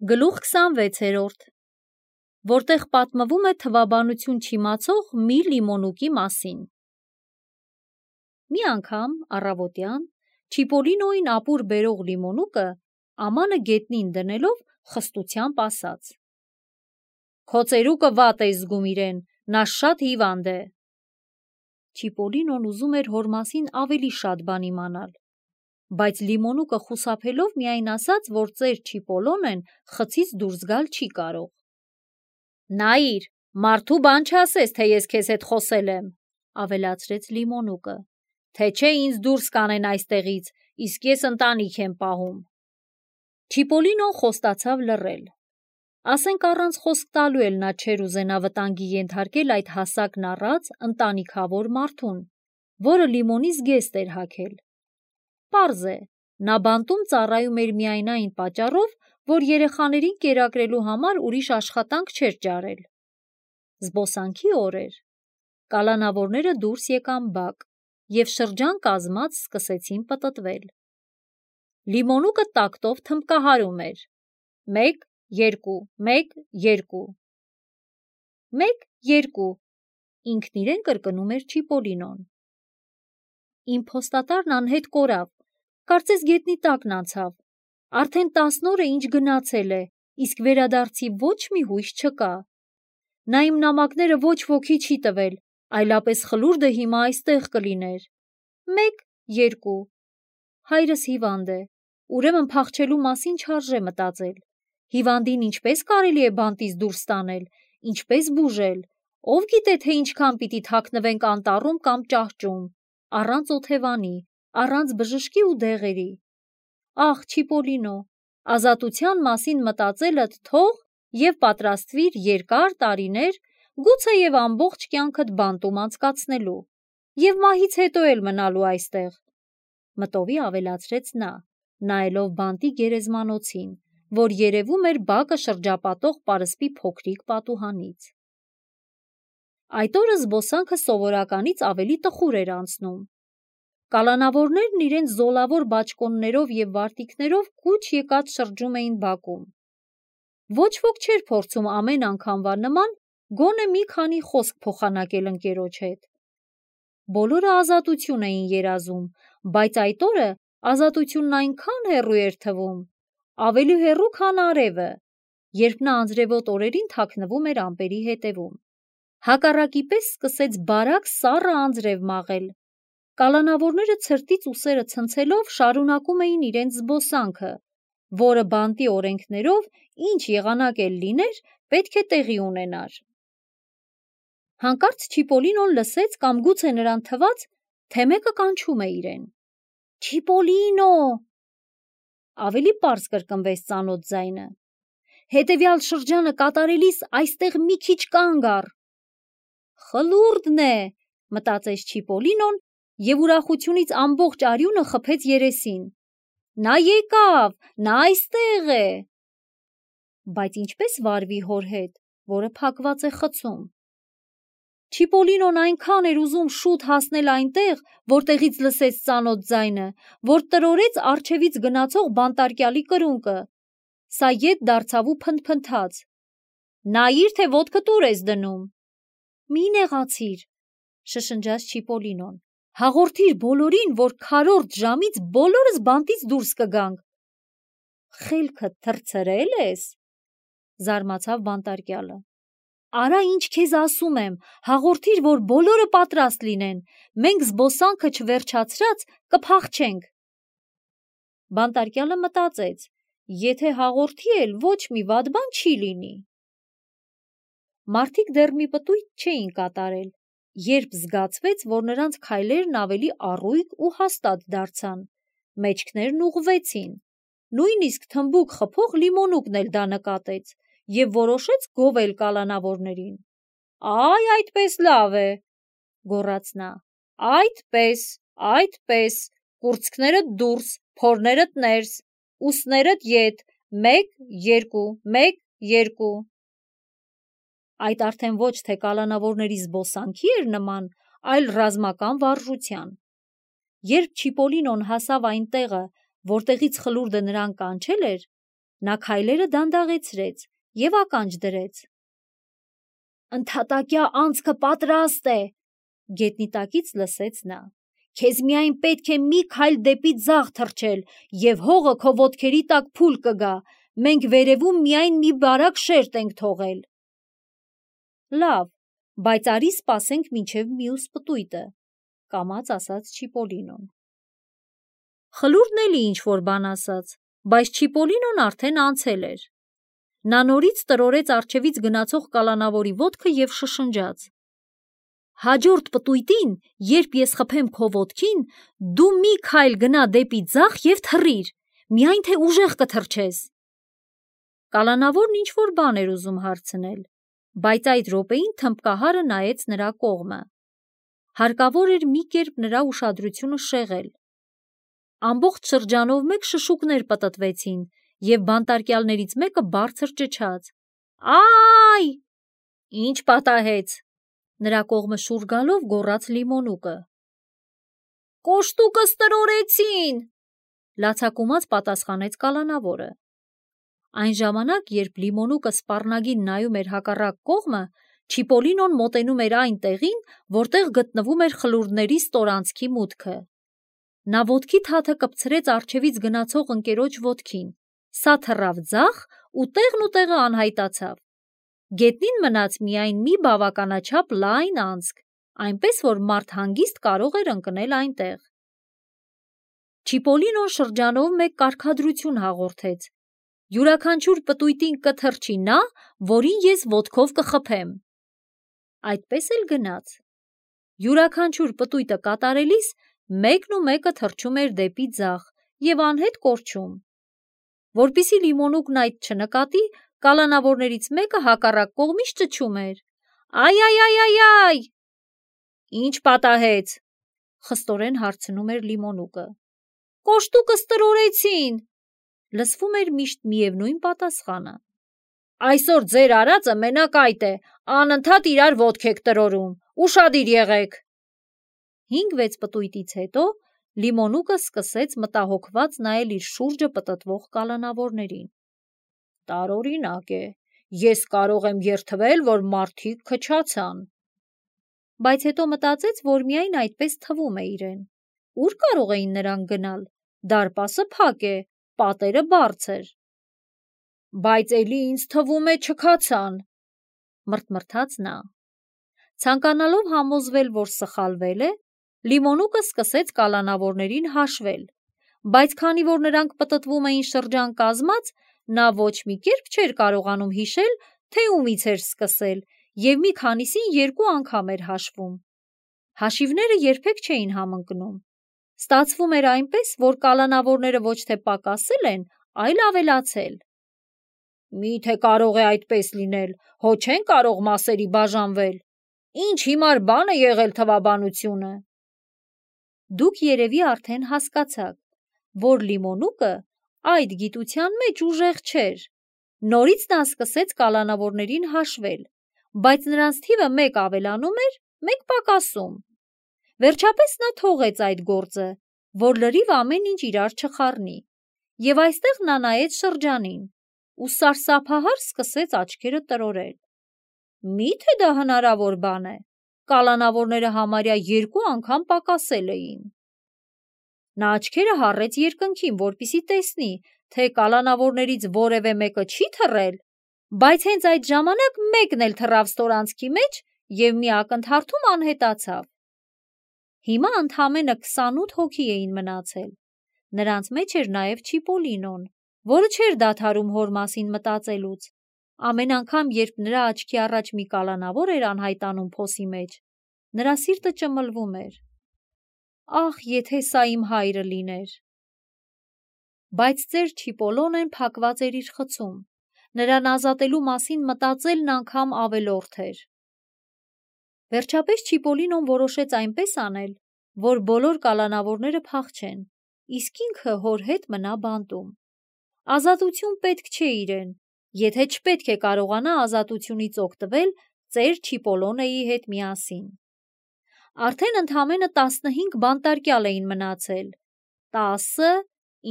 Գլուխ 26, որտեղ պատմվում է թվաբանություն չիմացող մի լիմոնուկի մասին։ Մի անգամ առավոտյան Չիպոլինոյին ապուր բերող լիմոնուկը ամանը գետնին դնելով խստությամբ ասաց. «Քո ծերուկը վատ է զգում իրեն, նա շատ հիվանդ է»։ Չիպոլինոն ուզում էր հոր մասին ավելի շատ բան իմանալ, բայց լիմոնուկը խուսափելով միայն ասաց, որ ծեր Չիպոլոնեն խցից դուրս գալ չի կարող։ «Նայիր, մարդու բան չասես, թե ես քեզ հետ խոսել եմ», ավելացրեց լիմոնուկը, «թե չէ ինձ դուրս կանեն այստեղից, իսկ ես ընտանիք եմ պահում»։ Չիպոլինոն խոստացավ լռել։ Ասենք առանց խոսք տալու էլ նա չէր ուզենա վտանգի ենթարկել այդ հասակն առած ընտանիքավոր մարդուն, որը լիմոնի զգեստ էր հագել։ Պարզ է, նա բանտում ծառայում էր միայն այն պատճառով, որ երեխաներին կերակրելու համար ուրիշ աշխատանք չէր ճարել։ Զբոսանքի օր էր։ Կալանավորները դուրս եկան բակ և շրջան կազմած սկսեցին պտտվել։ Լիմոնուկը տակտով թմբկահարում էր. 1, 2, 1, 2։ 1, 2, ինքն իրեն կրկնում էր Չիպոլինոն։ Իմ փոստատարն անհետ կորավ, կարծես գետնի տակն անցավ, արդեն 10 օր է ինչ գնացել է, իսկ վերադարձի ոչ մի հույս չկա։ Նա իմ նամակները ոչ ոքի չի տվել, այլապես խլուրդը հիմա այստեղ կլիներ։ 1, 2, հայրս հիվանդ է, ուրեմն փախչելու մասին չարժե մտածել։ Հիվանդին ինչպես կարելի է բանտից դուրս տանել, ինչպես բուժել, ով գիտե, թե ինչքան պիտի թաքնվենք անտառում կամ ճահճում, առանց օթևանի, առանց բժշկի ու դեղերի։ Ախ, Չիպոլինո, ազատության մասին մտածելդ թող և պատրաստվիր երկար տարիներ, գուցեև ամբողջ կյանքդ բանտում անցկացնելու, և մահից հետո էլ մնալու այստեղ, մտովի ավելացրեց նա, նայելով բանտի գերեզմանոցին, որ երևում էր բակը շրջապատող պարսպի փոքրիկ պատուհանից։ Այդ օրը զբոսանքը սովորականից ավելի տխուր էր անցնում։ Կալանավորներն իրենց զոլավոր բաճկոններով և վարտիքներով կուչ եկած շրջում էին բակում։ Ոչ ոք չէր փորձում ամեն անգամվա նման գոնե մի քանի խոսք փոխանակել ընկերոջ հետ։ Բոլորը ազատություն էին երազում, բայց այդ օրը ազատությունն այնքան հեռու էր թվում, ավելի հեռու, քան արևը, երբ նա անձրևոտ օրերին թաքնվում էր ամպերի հետևում։ Հակառակի պես սկսեց բարակ սառը անձրև մաղել։ Կալանավորները ցրտից ուսերը ցնցելով շարունակում էին իրենց զբոսանքը, որը բանտի օրենքներով ինչ եղանակ էլ լիներ, պետք է տեղի ունենար։ Հանկարծ Չիպոլինոն լսեց կամ գուցե նրան թվաց, թե մեկը կանչում է իրեն։ Չիպոլինո… Ավելի պարզ կրկնվեց ծանոթ ձայնը։ Հետևյալ շրջանը կատարելիս այստեղ մի քիչ կանգ առ։ Խլուրդն է, մտածեց Չիպոլինոն և ուրախությունից ամբողջ արյունը խփեց երեսին։ Նա եկավ, նա այստեղ է։ Բայց ինչպես վարվի հոր հետ, որը փակված է խցում։ Չիպոլինոն այնքան էր ուզում շուտ հասնել այնտեղ, որտեղից լսեց ծանոթ ձայնը, որ տրորեց առջևից գնացող բանտարկյալի կրունկը։ Սա ետ դարձավ ու փնթփնթաց։ Նայիր, թե ոտքդ ուր ես դնում։ Մի նեղացիր, շշնջաց Չիպոլինոն։ Հաղորդիր բոլորին, որ քառորդ ժամից բոլորս բանտից դուրս կգանք։ Խելքդ թռցրել ես, զարմացավ բանտարկյալը։ Արա ինչ քեզ ասում եմ, հաղորդիր, որ բոլորը պատրաստ լինեն, մենք զբոսանքը չվերջացրած կփախչենք։ Բանտարկյալը մտածեց, եթե հաղորդի էլ ոչ մի վատ բան չի լինի։ Մարդիկ դեռ մի պտույտ չէին կատարել, երբ զգացվեց, որ նրանց քայլերն ավելի առույգ ու հաստատ դարձան, մեջքներն ուղղվեցին, նույնիսկ թմբուկ խփող լիմոնուկն էլ դա նկատեց և որոշեց գովել կալանավորներին։ Այ այդպես լավ է, գոռաց նա, այդպես, կուրծքներդ դուրս, փորներդ ներս, ուսներդ ետ, 1, 2, 1, 2։ Այդ արդեն ոչ թե կալանավորների զբոսանքի էր նման, այլ ռազմական վարժության։ Երբ Չիպոլինոն հասավ այն տեղը, որտեղից խլուրդը նրան կանչել էր, Նա քայլերը դանդաղեցրեց և ականջ դրեց։ «Ընդհատակյա անցքը պատրաստ է», գետնի տակից լսեց նա։ «Քեզ միայն պետք է մի քայլ դեպի ձախ թռչել, և հողը քո ոտքերի տակ փուլ կգա, մենք վերևում միայն մի բարակ շերտ ենք թողել»։ «Լավ, բայց արի սպասենք մինչև մյուս պտույտը», կամաց ասաց Չիպոլինոն։ Խլուրդն էլի ինչ-որ բան ասաց, բայց Չիպոլինոն արդեն անցել էր։ Նա նորից տրորեց առջևից գնացող կալանավորի ոտքը և շշնջաց. «Հաջորդ պտույտին, երբ ես խփեմ քո ոտքին, դու մի քայլ գնա դեպի ձախ և թռիր, միայն թե ուժեղ կթռչես»։ Կալանավորն ինչ-որ բան էր ուզում հարցնել, բայց այդ րոպեին թմբկահարը նայեց նրա կողմը։ Հարկավոր էր մի կերպ նրա ուշադրությունը շեղել։ Ամբողջ շրջանով մեկ շշուկներ պտտվեցին, և բանտարկյալներից մեկը բարձր ճչաց. «Այ»։ «Ինչ պատահեց», նրա կողմը շուռ գալով գոռաց Լիմոնուկը։ «Կոշտուկս տրորեցին», լացակումած պատասխանեց կալանավորը։ Այն ժամանակ, երբ Լիմոնուկը սպառնագին նայում էր հակառակ կողմը, Չիպոլինոն մոտենում էր այն տեղին, որտեղ գտնվում էր խլուրդների ստորանցքի մուտքը։ Նա ոտքի թաթը կպցրեց առջևից գնացող ընկերոջ ոտքին, սա թռավ ձախ ու տեղը անհայտացավ։ Գետնին մնաց միայն մի բավականաչափ լայն անցք, այնպես որ մարդ հանգիստ կարող էր ընկնել այնտեղ։ Չիպոլինոն շրջանով մեկ կարգադրություն հաղորդեց. «Յուրաքանչյուր պտույտին կթռչի նա, որին ես ոտքով կխփեմ»։ Այդպես էլ գնաց։ Յուրաքանչյուր պտույտը կատարելիս մեկն ու մեկը թռչում էր դեպի ձախ և անհետ կորչում։ Որպեսզի Լիմոնուկն այդ չնկատի, կալանավորներից մեկը հակառակ կողմից ճչում էր. «Այ»։ «Ինչ պատահեց», խստորեն հարցնում էր Լիմոնուկը։ «Կոշտուկս տրորեցին», լսվում էր միշտ միևնույն պատասխանը։ «Այսօր ձեր արածը մենակ այդ է, անընդհատ իրար ոտք եք տրորում, ուշադիր եղեք»։ 5-6 պտույտից հետո Լիմոնուկը սկսեց մտահոգված նայել իր շուրջը պտտվող կալանավորներին։ «Տարօրինակ է, ես կարող եմ երդվել, որ մարդիկ քչացան»։ Բայց հետո մտածեց, որ միայն այդպես թվում է իրեն։ Ուր կարող էին նրանք գնալ։ Դարպասը փակ է, պատերը բարձր։ «Բայց էլի ինձ թվում է չքացան», մռթմռթաց նա։ Ցանկանալով համոզվել, որ սխալվել է, Լիմոնուկը սկսեց կալանավորներին հաշվել, բայց քանի որ նրանք պտտվում էին շրջան կազմած, նա ոչ մի կերպ չէր կարողանում հիշել, թե ումից էր սկսել, և մի քանիսին 2 անգամ էր հաշվում։ Հաշիվները երբեք չէին համընկնում։ Ստացվում էր այնպես, որ կալանավորները ոչ թե պակասել են, այլ ավելացել։ «Մի՞թե կարող է այդպես լինել, հո չեն կարող մասերի բաժանվել։ Ինչ հիմար բան է եղել թվաբանությունը»։ Դուք երևի արդեն հասկացաք, որ Լիմոնուկը այդ գիտության մեջ ուժեղ չէր։ Նորից նա սկսեց կալանավորներին հաշվել, բայց նրանց թիվը մեկ ավելանում էր, մեկ պակասում։ Վերջապես նա թողեց այդ գործը, որ լրիվ ամեն ինչ իրար չխառնի, և այստեղ նա նայեց շրջանին ու սարսափահար սկսեց աչքերը տրորել։ Մի՞թե դա հնարավոր բան է։ Կալանավորները համարյա 2 անգամ պակասել էին։ Նա աչքերը հառեց երկնքին, որպեսզի տեսնի, թե կալանավորներից որևէ մեկը չի թռել, բայց հենց այդ ժամանակ մեկն էլ թռավ ստորանցքի մեջ և մի ակնթարթում անհետացավ։ Հիմա ընդամենը 28 հոգի էին մնացել։ Նրանց մեջ էր նաև Չիպոլինոն, որը չէր դադարում հոր մասին մտածելուց։ Ամեն անգամ, երբ նրա աչքի առաջ մի կալանավոր էր անհայտանում փոսի մեջ, նրա սիրտը ճմլվում էր։ Ախ, եթե սա իմ հայրը լիներ։ Բայց ծեր Չիպոլոնեն փակված էր իր խցում։ Նրան ազատելու մասին մտածելն անգամ ավելորդ էր։ Վերջապես Չիպոլինոն որոշեց այնպես անել, որ բոլոր կալանավորները փախչեն, իսկ ինքը հոր հետ մնա բանտում։ Ազատություն պետք չէ իրեն, եթե չպետք է կարողանա ազատությունից օգտվել ծեր Չիպոլոնեի հետ միասին։ Արդեն ընդամենը 15 բանտարկյալ էին մնացել։ 10,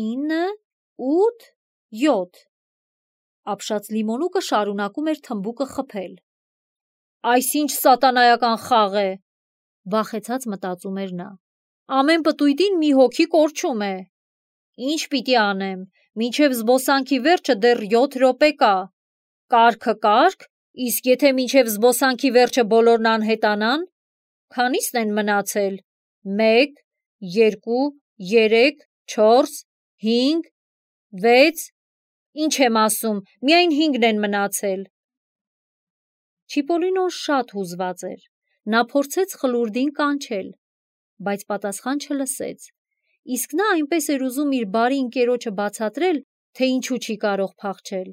9, 8, 7։ Ապշած լիմոնուկը շարունակում էր թմբուկը խփել։ Այս ինչ սատանայական խաղ է, վախեցած մտածում էր նա։ Ամեն պտույտին մի հոգի կորչում է։ Ինչ պիտի անեմ, մինչև զբոսանքի վերջը դեռ 7 րոպե կա։ Կարգը կարգ, իսկ եթե մինչև զբոսանքի վերջը բոլորն անհետանան, քանիսն են մնացել։ 1, 2, 3, 4, 5, 6, ինչ եմ ասում, միայն 5-ն են մնացել։ Չիպոլինոն շատ հուզված էր։ Նա փորձեց խլուրդին կանչել, բայց պատասխան չլսեց։ Իսկ նա այնպես էր ուզում իր բարի ընկերոջը բացատրել, թե ինչու չի կարող փախչել։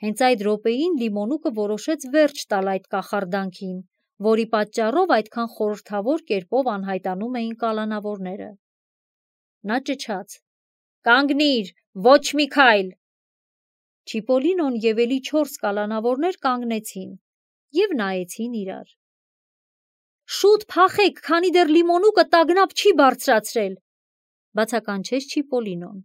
Հենց այդ րոպեին լիմոնուկը որոշեց վերջ տալ այդ կախարդանքին, որի պատճառով այդքան խորհրդավոր կերպով անհայտանում էին կալանավորները։ Նա ճչաց. «Կանգնիր, ոչ մի քայլ»։ Չիպոլինոն և էլի 4 կալանավորներ կանգնեցին և նայեցին իրար։ Շուտ փախեք, քանի դեռ լիմոնուկը տագնապ չի բարձրացրել, բացականչեց Չիպոլինոն։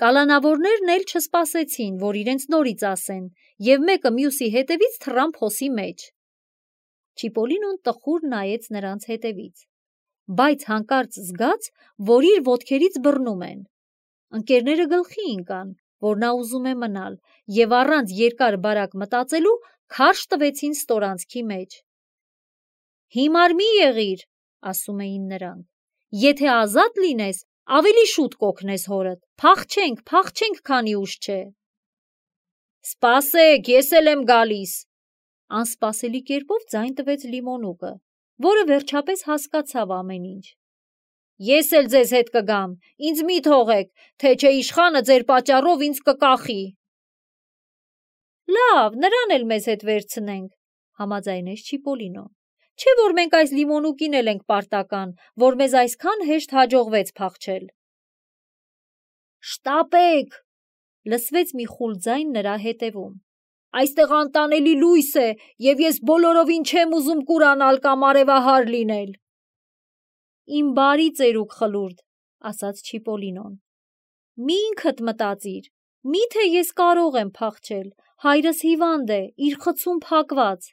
Կալանավորներն էլ չսպասեցին, որ իրենց նորից ասեն, և մեկը մյուսի հետևից թռան փոսի մեջ։ Չիպոլինոն տխուր նայեց նրանց հետևից, բայց հանկարծ զգաց, որ իր ոտքերից բռնում են։ Ընկերները գլխի ընկան, որ նա ուզում է մնալ, և առանց երկար բարակ մտածելու քարշ տվեցին ստորանցքի մեջ։ Հիմար մի եղիր, ասում էին նրանք, եթե ազատ լինես, ավելի շուտ կօգնես հորդ, փախչենք, փախչենք, քանի ուշ չէ։ Սպասեք, ես էլ եմ գալիս, անսպասելի կերպով ձայն տվեց լիմոնուկը, որը վերջապես հասկացավ ամեն ինչ։ Ես էլ ձեզ հետ կգամ, ինձ մի թողեք, թե չէ իշխանը ձեր պատճառով ինձ կկախի։ Լավ, նրան էլ մեզ հետ վերցնենք, համաձայնեց Չիպոլինոն։ Չէ՞ որ մենք այս լիմոնուկին էլ ենք պարտական, որ մեզ այսքան հեշտ հաջողվեց փախչել։ Շտապեք, լսվեց մի խուլ ձայն նրա հետևում։ Այստեղ անտանելի լույս է, և ես բոլորովին չեմ ուզում կուրանալ կամ արևահար լինել։ Իմ բարի ծերուկ խլուրդ, ասաց Չիպոլինոն։ Մի ինքդ մտածիր, միթե ես կարող եմ փախչել, հայրս հիվանդ է, իր խցում փակված։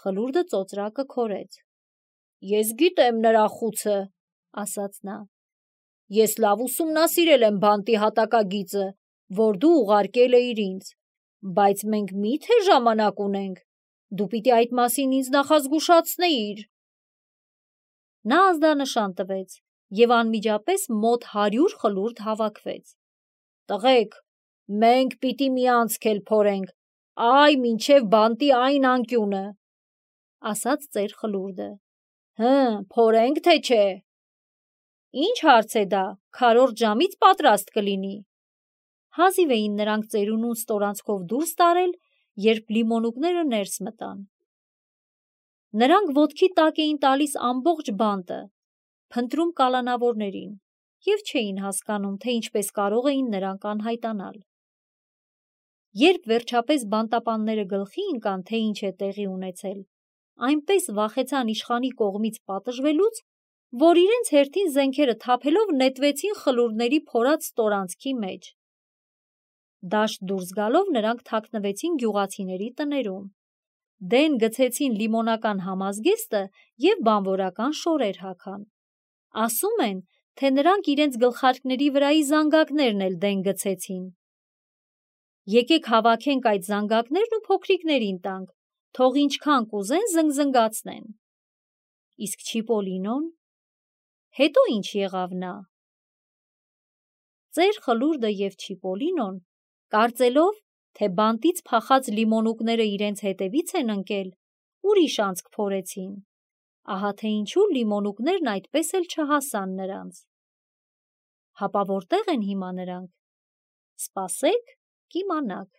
Խլուրդը ծոծրակը քորեց։ Ես գիտեմ նրա խուցը, ասաց նա։ Ես լավ ուսումնասիրել եմ բանտի հատակագիծը, որ դու ուղարկել էիր ինձ, բայց մենք միթե ժամանակ ունենք, դու պիտի այդ մասին ինձ նախազգուշացնեիր։ Նա ազդանշան տվեց, և անմիջապես մոտ 100 խլուրդ հավաքվեց։ Տղեկ, մենք պիտի մի անցք էլ փորենք, այ մինչև բանտի այն անկյունը, ասաց ծեր խլուրդը։ Փորենք, թե չէ։ Ինչ հարց է դա, քառորդ ժամից պատրաստ կլինի։ Հազիվ էին նրանք ծերունուն ստորանցքով դուրս տարել, երբ լիմոնուկները ներս մտան։ Նրանք ոտքի տակ էին տալիս ամբողջ բանտը, փնտրում կալանավորներին, և չէին հասկանում, թե ինչպես կարող էին նրանք անհայտանալ։ Երբ վերջապես բանտապանները գլխի ընկան, թե ինչ է տեղի ունեցել, այնպես վախեցան իշխանի կողմից պատժվելուց, որ իրենց հերթին զենքերը թափելով նետվեցին խլուրդների փորած ստորանցքի մեջ։ Դաշտ դուրս գալով նրանք թաքնվեցին գյուղացիների տներում, դեն գցեցին լիմոնական համազգեստը և բանվորական շորեր հագան։ Ասում են, թե նրանք իրենց գլխարկների վրայի զանգակներն էլ դեն գցեցին։ Եկեք հավաքենք այդ զանգակներն ու փոքրիկներին տանք, թող ինչքան կուզեն զնգզնգացնեն։ Իսկ Չիպոլինոն, հետո ինչ եղավ նա։ Ծեր խլուրդը և Չիպոլինոն, կարծելով, թե բանտից փախած լիմոնուկները իրենց հետևից են ընկել, ուրիշ անցք փորեցին։ Ահա թե ինչու լիմոնուկներն այդպես էլ չհասան նրանց։ Հապա որտե՞ղ են հիմա նրանք։ Սպասեք, կիմանաք։